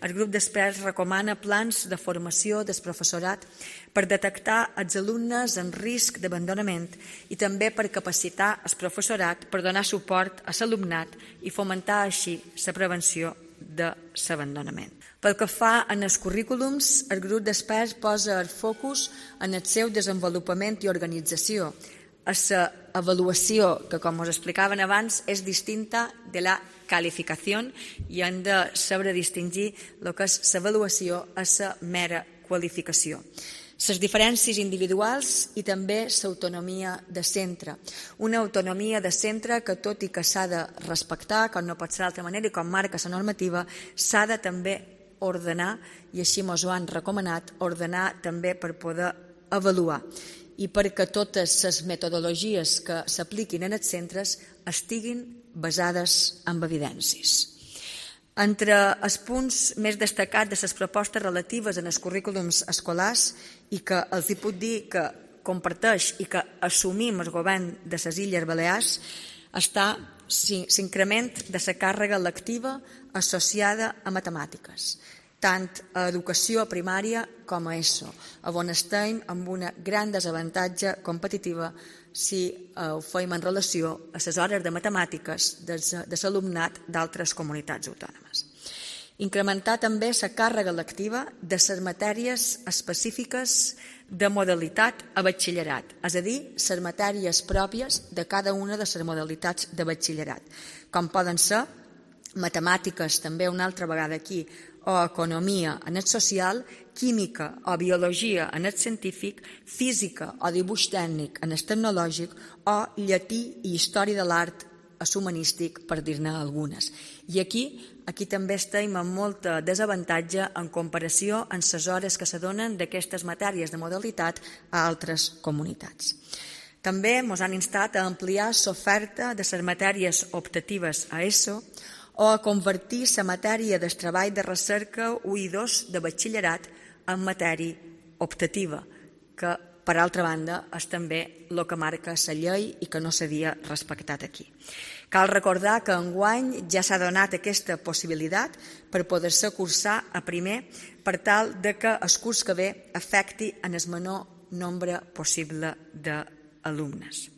el grup d'experts recomana plans de formació del professorat per detectar els alumnes en risc d'abandonament i també per capacitar el professorat per donar suport a l'alumnat i fomentar així la prevenció de l'abandonament. Pel que fa en els currículums, el grup d'experts posa el focus en el seu desenvolupament i organització, a l'avaluació, que com us explicaven abans és distinta de la qualificació i hem de saber distingir el que és l'avaluació a la mera qualificació. Les diferències individuals i també l'autonomia de centre. Una autonomia de centre que, tot i que s'ha de respectar, com no pot ser d'altra manera i com marca la normativa, s'ha de també ordenar, i així ens ho han recomanat, ordenar també per poder avaluar i perquè totes les metodologies que s'apliquin en els centres estiguin basades en evidències. Entre els punts més destacats de les propostes relatives en els currículums escolars i que els puc dir que comparteix i que assumim el govern de les Illes Balears està l'increment de la càrrega lectiva associada a matemàtiques, tant a educació primària com a ESO, on estem amb una gran desavantatge competitiva si ho fem en relació a les hores de matemàtiques de l'alumnat d'altres comunitats autònomes. Incrementar també la càrrega lectiva de les matèries específiques de modalitat a batxillerat, és a dir, les matèries pròpies de cada una de les modalitats de batxillerat, com poden ser matemàtiques, també una altra vegada aquí, o economia en el social, química o biologia en el científic, física o dibuix tècnic en el tecnològic o llatí i història de l'art humanístic, per dir-ne algunes. I aquí també estem amb molta desavantatge en comparació amb les hores que se donen d'aquestes matèries de modalitat a altres comunitats. També ens han instat a ampliar l'oferta de les matèries optatives a ESO o a convertir la matèria del treball de recerca 1 i 2 de batxillerat en matèria optativa, que, per altra banda, és també el que marca la llei i que no s'havia respectat aquí. Cal recordar que enguany ja s'ha donat aquesta possibilitat per poder-se cursar a primer per tal que el curs que ve afecti en el menor nombre possible d'alumnes.